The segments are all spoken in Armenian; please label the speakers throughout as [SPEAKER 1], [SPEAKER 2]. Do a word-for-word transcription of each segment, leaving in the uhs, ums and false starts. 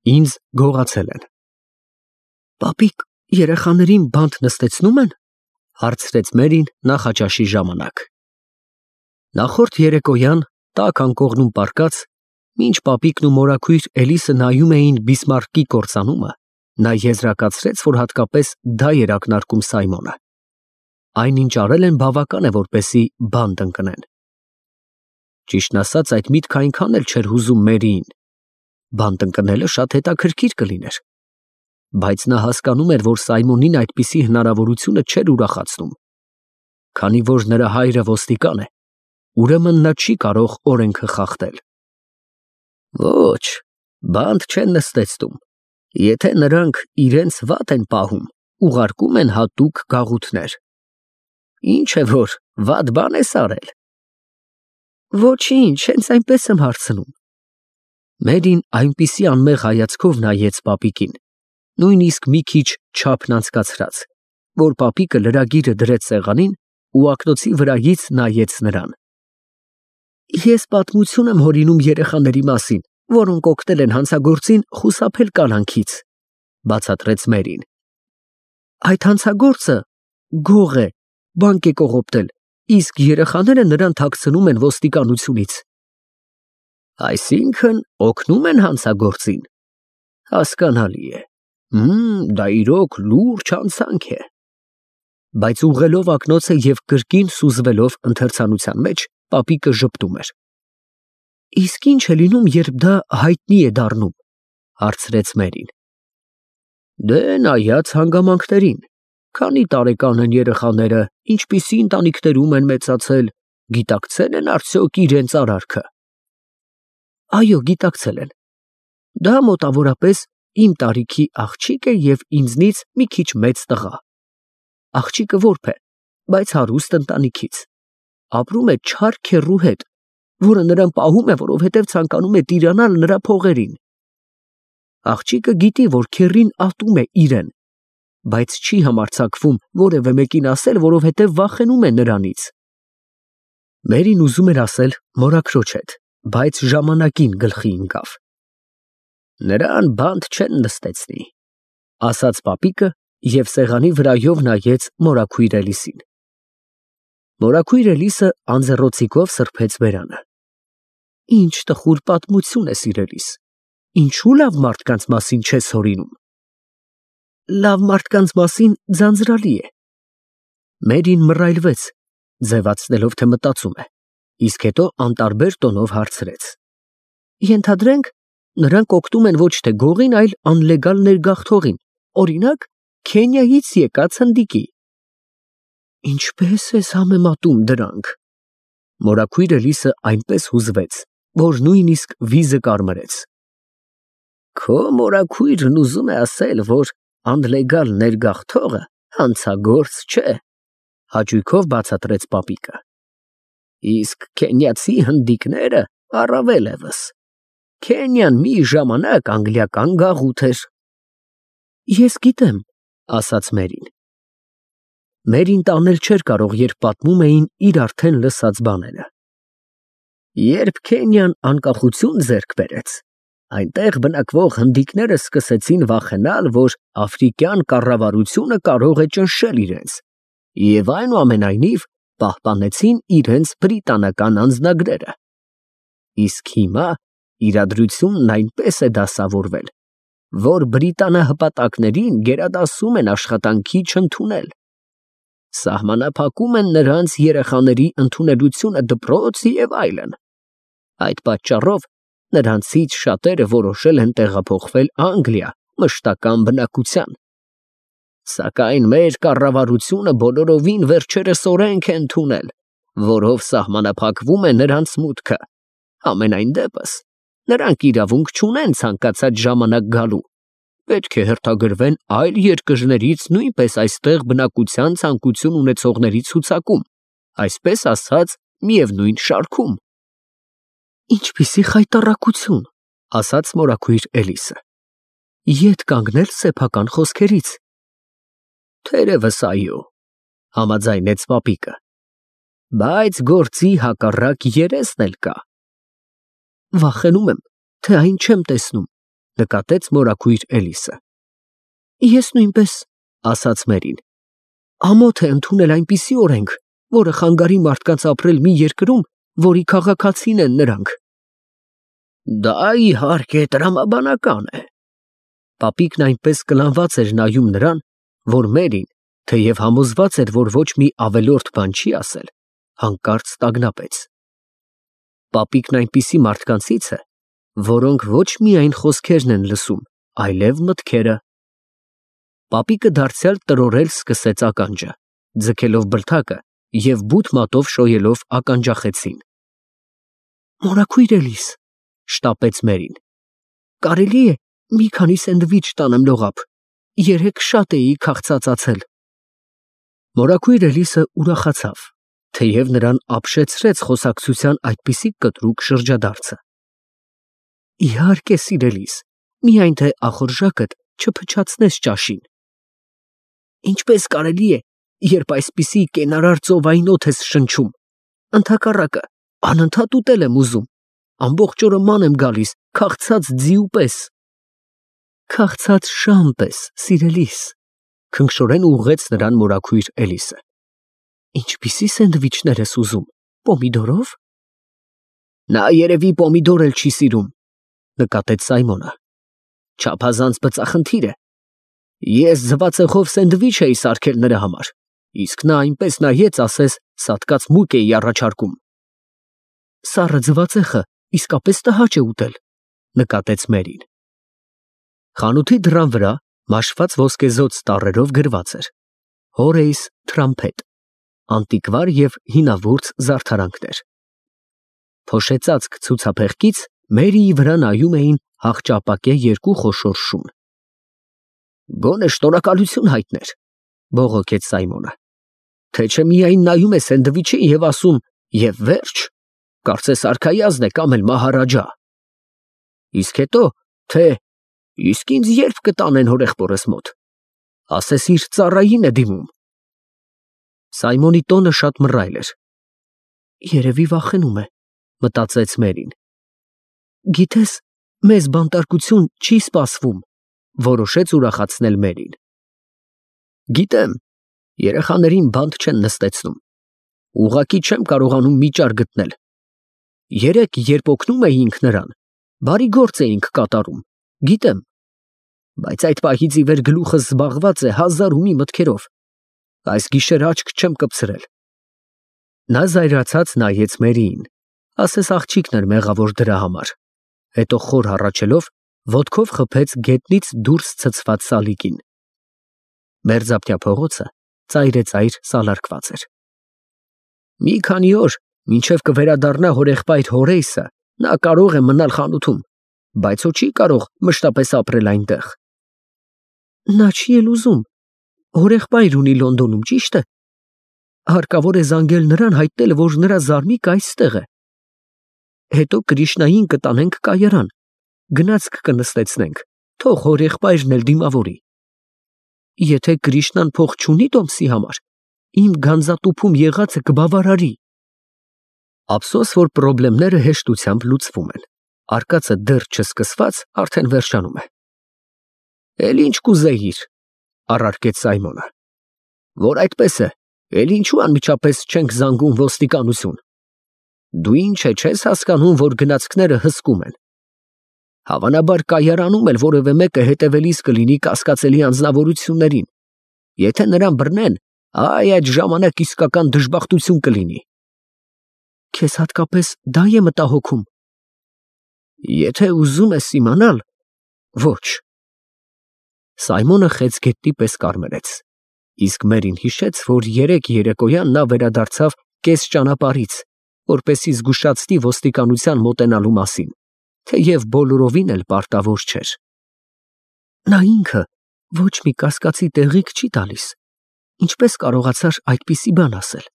[SPEAKER 1] Ինձ գողացել են։ Պապիկ երեխաներին բանտ նստեցնում են, հարցրեց Մերին նախաճաշի ժամանակ։ Նախորդ երեկոյան տաք անկողնում պառկած, մինչ պապիկն ու մորաքույր Էլիսը նայում էին Բիսմարկի կործանումը, նա եզրակացրեց, որ հատկապես դա էր ակնարկում Սայմոնը։ Այնինչ արել են բավական է, որպեսզի բանտ ընկնեն։ Ճիշտն ասած, այդ միտքը այնքան էլ չէր հուզում Մերիին։ Բանտ ընկնելը շատ հետաքրքիր կլիներ։ Բայց նա հասկանում էր, որ Սայմոնին այդպիսի հնարավորությունը չէր ուրախացնում։ Քանի որ նրա հայրը ոստիկան է, ուրեմն նա չի կարող օրենքը խախտել։ Ոչ, բանտ չեն նստեցնում։ Եթե նրանք իրենց վատ են պահում, ուղարկում են հատուկ գաղութներ։ Ինչ է որ, վատ բան ես արել։ Ոչինչ, հենց այնպես եմ հարցնում։ Մերին այնպիսի անմեղ հայացքով նայեց պապիկին, նույնիսկ մի քիչ չափն անցկացրած, որ պապիկը լրագիրը դրեց սեղանին ու ակնոցի վրայից նայեց նրան։ Ես պատմություն եմ հորինում երեխաների մասին, որոնք օգնել են հանցագործին խուսափել կալանքից, բացատրեց Մերին։ Այդ հանցագործը գող է, բանկ է կողոպտել, իսկ երեխաները նրան թաքցնում են ոստիկանությունից։ Այսինքն օգնում են հանցագործին։ Հասկանալի է։ Հմ, դա իրոք լուրջ հանցանք է։ Բայց ուղղելով ակնոցը և կրկին սուզվելով ընթերցանության մեջ, պապիկը ժպտում էր։ Իսկ ինչ է լինում, երբ դա հայտնի է դառնում, հարցրեց Մերին։ Դե նայած հանգամանքներին, քանի տարեկան են երեխաները, ինչպիսի ընտանիքներում են մեծացել, գիտակցել են արդյոք իրենց արարքը։ Այո, գիտակցել են։ Դա մոտավորապես իմ տարիքի աղջիկ է և ինձնից մի քիչ մեծ տղա։ Աղջիկը որբ է, բայց հարուստ ընտանիքից։ Ապրում է չար քեռու հետ, որը նրան պահում է, որովհետև ցանկանում է տիրանալ նրա փողերին։ Աղջիկը գիտի, որ քեռին ատում է իրեն, բայց չի համարձակվում որևէ մեկին ասել, որովհետև վախենում է նրանից։ Մերին ուզում էր ասել մորաքրոջ հետ, բայց ժամանակին գլխի ընկավ։ Նրան բանտ չեն նստեցնի, ասաց պապիկը և սեղանի վրայով նայեց մորաքույր Էլիսին։ Մորաքույր Էլիսը անձեռոցիկով սրբեց բերանը։ Ինչ տխուր պատմություն է, սիրելիս, ինչու լավ մարդկանց մասին չես հորինում։ Լավ մարդկանց մասին ձանձրալի է։ Մերին մռայլվեց, ձևացնելով, թե մտածում է, իսկ հետո անտարբեր տոնով հարցրեց. Ենթադրենք, նրանք օգնում են ոչ թե գողին, այլ անլեգալ ներգաղթողին, օրինակ, Քենիայից եկած հնդիկի։ Ինչպես ես համեմատում դրանք։ Մորաքույր Էլիսը այնպես հուզվեց, որ նույնիսկ վիզը կարմրեց։ Քո մորաքույրն ուզում է ասել, որ անլեգալ ներգաղթողը հանցագործ չէ, հաճույքով բացատրեց պապիկը։ Իսկ քենիացի հնդիկները առավել ևս։ Քենիան մի ժամանակ անգլիական գաղութ էր։ Ես գիտեմ, ասաց Մերին։ Մերին տանել չէր կարող, երբ պատմում էին իր արդեն լսած բաները։ Երբ Քենիան անկախություն ձեռք բերեց, այնտեղ բնակվող հնդիկները սկսեցին վախենալ, որ աֆրիկյան կառավարությունը կարող է ճնշել իրենց, և այնուամենայնիվ պահպանեցին իրենց բրիտանական անձնագրերը։ Իսկ հիմա իրադրությունն այնպես է դասավորվել, որ բրիտանահպատակներին գերադասում են աշխատանքի չընդունել։ Սահմանափակում են նրանց երեխաների ընդունելությունը դպրոց և այլն։ Այդ պատճառով նրանցից շատերը որոշել են տեղափոխվել Անգլիա մշտական բնակության։ Սակայն մեր կառավարությունը բոլորովին վերջերս օրենք է ընդունել, որով սահմանափակվում է նրանց մուտքը։ Համենայն դեպս, նրանք իրավունք չունեն ցանկացած ժամանակ գալու, պետք է հերթագրվեն այլ երկրներից նույնպես այստեղ բնակության ցանկություն ունեցողների ցուցակում, այսպես ասած, միևնույն շարքում։ Ինչպիսի խայտառակություն, ասաց մորաքույր Էլիսը։ Ետ կանգնել սեփական խոսքերից։ Թերևս այո, համաձայնեց պապիկը, բայց գործի հակառակ երեսն էլ կա։ Վախենում եմ, թե այն չեմ տեսնում, նկատեց մորաքույր Էլիսը։ Ես նույնպես, ասաց Մերին, ամոթ է ընդունել այնպիսի օրենք, որը խանգարի մարդկանց ապրել մի երկրում, որի քաղաքացին են նրանք։ Դա իհարկե տրամաբանական է։ Պապիկն այնպես կլանված էր նայում նրան, որ Մերին, թեև համոզված էր, որ ոչ մի ավելորդ բան չի ասել, հանկարծ տագնապեց։ Պապիկն այնպիսի մարդկանցից է, որոնք ոչ միայն խոսքերն են լսում, այլև մտքերը։ Պապիկը դարձյալ տրորել սկսեց ականջը, ձգելով բլթակը և բութ մատով շոյելով ականջախեցին։ Մորաքույր Էլիս, շտապեց Մերին, կարելի է մի քանի սենդվիչ տանեմ լողափ, երեկ շատ էի քաղցածացել։ Մորաքույր Էլիսը ուրախացավ, թեև նրան ապշեցրեց խոսակցության այդպիսի կտրուկ շրջադարձը։ Իհարկե, սիրելիս, միայն թե ախորժակդ չփչացնես ճաշին։ Ինչպես կարելի է, երբ այսպիսի կենարար ծովային օդ ես շնչում, ընդհակառակը, անընդհատ ուտել եմ ուզում, ամբողջ օրը ման եմ գալիս, քաղցած ձիու պես։ Քաղցած շան պես, սիրելիս, քնքշորեն ուղղեց նրան մորաքույր Էլիսը։ Ինչպիսի սենդվիչներ ես ուզում, պոմիդորով։ Նա երևի պոմիդոր էլ չի սիրում, նկատեց Սայմոնը։ Չափազանց բծախնդիր է։ Ես ձվածեղով սենդվիչ էի սարքել նրա համար, իսկ նա այնպես նայեց, ասես սատկած մուկ էի առաջարկում։ Սառը ձվածեղը իսկապես տհաճ է ուտել, նկատեց Մերին։ Խանութի դռան վրա մաշված ոսկեզօծ տառերով գրված էր Հորեյս Թրամփետ, անտիկվար և հինավուրց զարդարանքներ։ Փոշեցածք ցուցափեղկից Մերիի վրա նայում էին հախճապակե երկու խոշոր շուն։ Գոնե շնորհակալություն հայտներ, բողոքեց Սայմոնը, թե չէ միայն նայում է սենդվիչին և ասում և վերջ, կարծես արքայազն է կամ էլ մահարաջա։ Իսկ հետո, թե իսկ ինձ երբ կտանեն հորեղբորս մոտ, ասես իր ծառային է դիմում։ Սայմոնի տոնը շատ մռայլ էր։ Երևի վախենում է, մտածեց Մերին։ Գիտես, մեզ բանտարկություն չի սպասվում, որոշեց ուրախացնել Մերին։ Գիտեմ, երեխաներին բանտ չեն նստեցնում, ուղղակի չեմ կարողանում միջար գտնել։ Երեկ, երբ օգնում էինք նրան, բարի գործ էինք կատարում, գիտեմ, բայց այդ պահից ի վեր գլուխս զբաղված է հազար ու մի մտքերով, այս գիշեր աչք չեմ կպցրել։ Նա զայրացած նայեց Մերիին, ասես աղջիկն էր մեղավոր դրա համար, հետո խոր հառաչելով ոտքով խփեց գետնից դուրս ցցված սալիկին։ Մերձափնյա փողոցը ծայրեծայր սալարկված էր։ Մի քանի օր, մինչև կվերադառնա հորեղբայր Հորեյսը, նա կարող է մնալ խանութում, բայց ու չի կարող մշտապես ապրել այնտեղ։ Նա չի էլ ուզում, հորեղբայր ունի Լոնդոնում, ճիշտ է։ Հարկավոր է զանգել նրան, հայտնել, որ նրա զարմիկը այստեղ է։ Հետո Կրիշնային կտանենք կայարան, գնացք կնստեցնենք, թող հորեղբայրն էլ դիմավորի։ Եթե Կրիշնան փող չունի տոմսի համար, իմ գանձատուփում եղածը կբավարարի։ Ափսոս, որ պրոբլեմները հեշտությամբ լուծվում են, արկածը դեռ չսկսված արդեն վերջանում է։ Էլ ինչ կուզեիր, առարկեց Սայմոնը։ Որ այդպես է, էլ ինչու անմիջապես չենք զանգում ոստիկանություն։ Դու ինչ է չես հասկանում, որ գնացքները հսկում են։ Հավանաբար կայարանում էլ որևէ մեկը հետևելիս կլինի կասկածելի անձնավորություններին։ Եթե նրան բռնեն, այ այդ ժամանակ իսկական դժբախտություն կլինի։ Քեզ հատկապես դա է մտահոգում։ Եթե ուզում ես իմանալ, ոչ։ Սայմոնը խեց գետնի պես կարմրեց, իսկ Մերին հիշեց, որ երեկ երեկոյան նա վերադարձավ կես ճանապարհից, որպեսզի զգուշացնի ոստիկանության մոտենալու մասին, թեև բոլորովին էլ պարտավոր չէր։ Նա ինքը ոչ մի կասկածի տեղիք չի տալիս, ինչպես կարողացար այդպիսի բան ասել։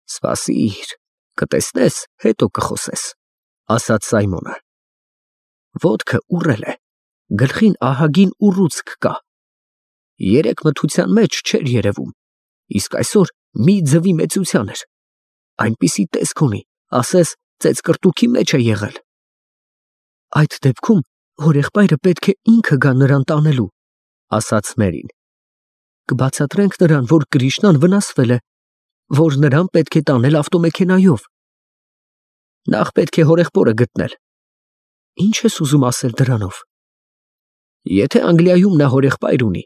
[SPEAKER 1] Սպասիր, կտեսնես, հետո կխոսես, ասաց Սայմոնը։ Ոտքը ուռել է, գլխին ահագին ուռուցք կա։ Երեկ մթության մեջ չէր երևում, իսկ այսօր մի ձվի մեծության էր։ Այնպիսի տեսք ունի, ասես ծեծկռտուքի մեջ է եղել։ Այդ դեպքում Հորեղբայրը պետք է ինքը գա նրան տանելու, ասաց Մերին։ Կբացատրենք նրան, որ Կրիշնան վնասվել է, որ նրան պետք է տանել ավտոմեքենայով։ Նախ պետք է հորեղբորը գտնել։ Ինչ ես ուզում ասել դրանով։ Եթե Անգլիայում նա հորեղբայր ունի,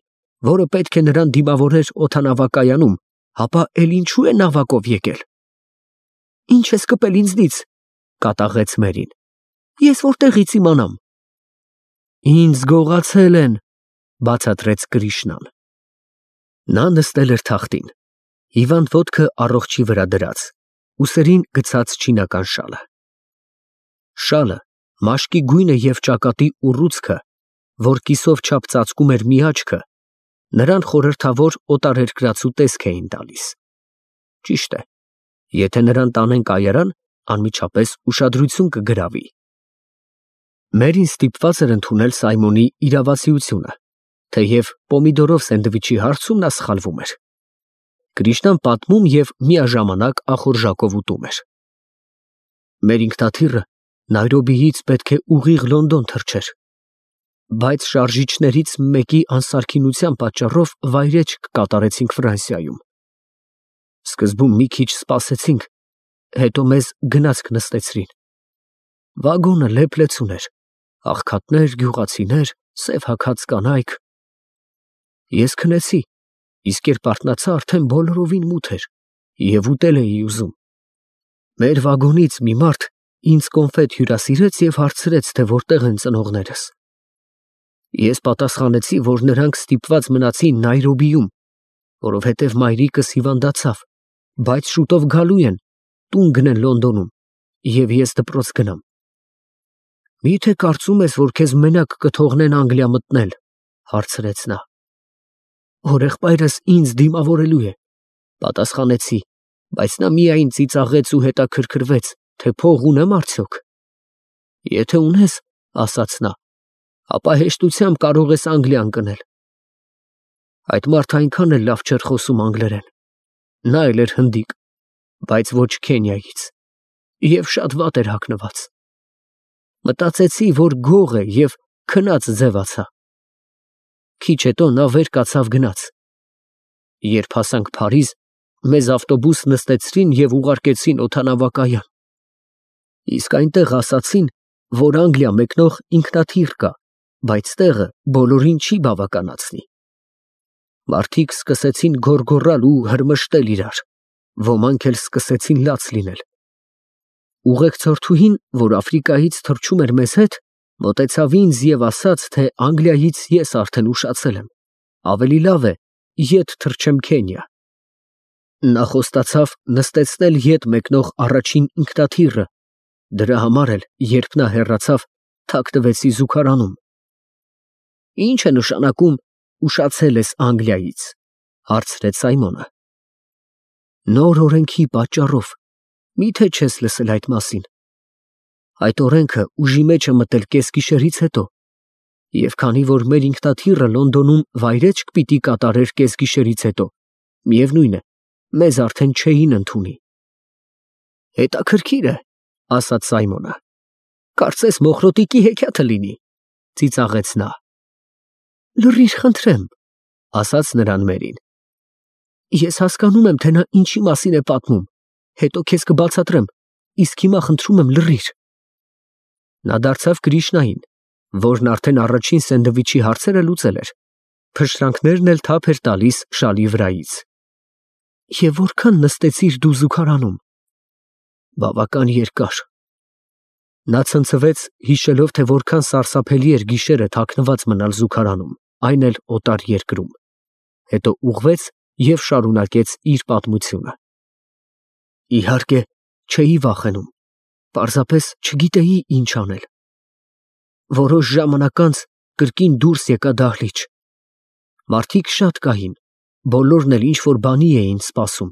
[SPEAKER 1] որը պետք է նրան դիմավորեր օդանավակայանում, ապա էլ ինչու է նավակով եկել։ Ինչ ես կպել ինձնից, կատաղեց Մերին։ Ես որտեղից իմանամ։ Ինձ գողացել են, բացատրեց Կրիշնան։ Նա նստել էր թախտին, հիվանդ ոտքը առողջի վրա դրած, ուսերին գցած չինական շալը։ Շալը, մաշկի գույնը և ճակատի ուռուցքը, որ կիսով չափ ծածկում էր մի աչքը, նրան խորհրդավոր օտարերկրացու տեսք էին տալիս։ Ճիշտ է, եթե նրան տանեն կայարան, անմիջապես ուշադրություն կգրավի։ Մերին ստիպված էր ընդունել Սայմոնի իրավացիությունը, թեև պոմիդորով սենդվիչի հարցում նա սխալվում էր։ Կրիշնան պատմում և միաժամանակ ախորժակով ուտում էր։ Մեր ինքնաթիռը Նայրոբիից պետք է ուղիղ Լոնդոն թռչեր, բայց շարժիչներից մեկի անսարքինության պատճառով վայրէջք կատարեցինք Ֆրանսիայում։ Սկզբում մի քիչ սպասեցինք, հետո մեզ գնացք նստեցրին։ Վագոնը լեփ-լեցուն էր, աղքատներ, գյուղացիներ, սև հագած կանայք։ Ես քնեցի, իսկ երբ արթնացա, արդեն բոլորովին մութ էր և ուտել էի ուզում։ Մեր վագոնից մի մարդ ինձ կոնֆետ հյուրասիրեց և հարցրեց, թե որտեղ են ծնողներս։ Ես պատասխանեցի, որ նրանք ստիպված մնացին Նայրոբիում, որովհետև մայրիկս հիվանդացավ, բայց շուտով գալու են, տուն գնեն Լոնդոնում, և ես դպրոց գնամ։ Մի՞թե կարծում ես, որ քեզ մենակ կթողնեն Անգլիա մտնել, հարցրեց նա։ Հորեղբայրս ինձ դիմավորելու է, պատասխանեցի, բայց նա միայն ծիծաղեց ու հետաքրքրվեց, թե փող ունեմ արդյոք։ Եթե ունես, ասաց նա, ապա հեշտությամբ կարող ես Անգլիա ընկնել։ Այդ մարդը այնքան էլ լավ չէր խոսում անգլերեն։ Նա էլ էր հնդիկ, բայց ոչ Քենիայից, և շատ վատ էր հագնված։ Մտածեցի, որ գող է և քնած ձևացա։ Քիչ հետո նա վեր կացավ գնաց։ Երբ հասանք Փարիզ, մեզ ավտոբուս նստեցրին և ուղարկեցին օդանավակայան։ Իսկ այնտեղ ասացին, որ Անգլիա մեկնող ինքնաթիռ կա, բայց տեղը բոլորին չի բավականացնի։ Մարդիկ սկսեցին գոռգոռալ ու հրմշտել իրար, ոմանք էլ սկսեցին լաց լինել։ Ուղեկցորդուհին, որ Աֆրիկայից թռչում էր մեզ հետ, մոտեցավ ինձ և ասաց, թե Անգլիայից ես արդեն ուշացել եմ, ավելի լավ է ետ թռչեմ Քենիա։ Նա խոստացավ նստեցնել ետ մեկնող առաջին ինքնաթիռը, դրա համար էլ, երբ նա հեռացավ, թաքնվեցի զուգարանում։ Ի՞նչ է նշանակում ուշացել ես Անգլիայից, հարցրեց Սայմոնը։ Նոր օրենքի պատճառով, մի՞թե չես լսել այդ մասին։ Այդ օրենքը ուժի մեջ է մտել կեսգիշերից հետո, և քանի որ մեր ինքնաթիռը Լոնդոնում վայրէջք պիտի կատարեր կեսգիշերից հետո, միևնույն է, մեզ արդեն չէին ընդունի։ Հետաքրքիր է, ասաց Սայմոնը։ Կարծես Մոխրոտիկի հեքիաթը լինի, ծիծաղեց նա։ Լռիր, խնդրեմ, ասաց նրան Մերին։ Ես հասկանում եմ, թե նա ինչի մասին է պատմում, հետո քեզ կբացատրեմ, իսկ հիմա խնդրում եմ լռիր։ Նա դարձավ Կրիշնային, որն արդեն առաջին սենդվիչի հարցերը լուծել էր, փշրանքներն էլ թափ էր տալիս շալի վրայից։ Եվ որքան նստեցիր դու զուգարանում։ Բավական երկար։ Նա ցնցվեց, հիշելով, թե որքան սարսափելի էր գիշերը թաքնված մնալ զուգարանում, այն էլ օտար երկրում։ Հետո ուղղվեց և շարունակեց իր պատմությունը։ Իհարկե, չէի վախենում, պարզապես չգիտեի ինչ անել։ Որոշ ժամանակ անց կրկին դուրս եկա դահլիճ։ Մարդիկ շատ կային, բոլորն էլ ինչ-որ բանի էին սպասում։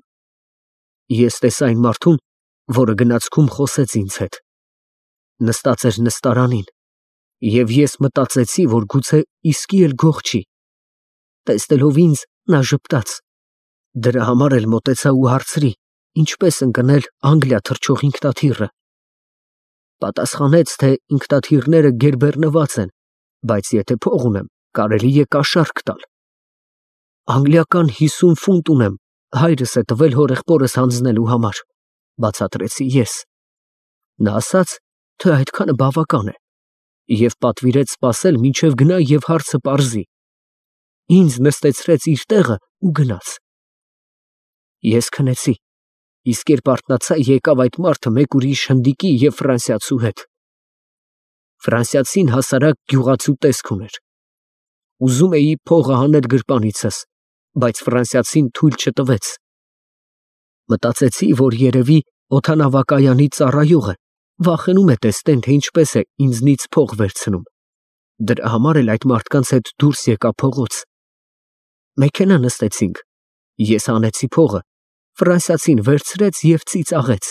[SPEAKER 1] Ես տեսա այն մարդուն, որը գնացքում խոսեց ինձ հետ։ Նստած էր նստարանին, և ես մտածեցի, որ գուցե իսկի էլ գող չի։ Տեսնելով ինձ, նա ժպտաց։ Դրա համար էլ մոտեցա ու հարցրի, ինչպես ընկնել Անգլիա թռչող ինքնաթիռը։ Պատասխանեց, թե ինքնաթիռները գերբեռնված են բայց եթե փող ունեմ, կարելի է կաշառք տալ։ Անգլիական հիսուն ֆունտ ունեմ, հայրս է տվել հորեղբորս հանձնելու համար, բացատրեցի ես։ Նա ասաց, թե այդքանը բավական է, և պատվիրեց սպասել, մինչև գնա և հարցը պարզի։ Ինձ նստեցրեց իր տեղը ու գնաց։ Ես քնեցի, իսկ երբ արթնացա, եկավ այդ մարդը մեկ ուրիշ հնդիկի և ֆրանսիացու հետ։ Ֆրանսիացին հասարակ գյուղացու տեսք ուներ։ Ուզում էի փողը հանել գրպանիցս, բայց ֆրանսիացին թույլ չտվեց։ Մտածեցի, որ երևի օդանավակայանի ծառայողը վախենում է տեսնեն, թե ինչպես է ինձնից փող վերցնում։ Դրա համար էլ այդ մարդկանց հետ դուրս եկա փողոց։ Մեքենա նստեցինք, ես հանեցի փողը, ֆրանսիացին վերցրեց և ծիծաղեց։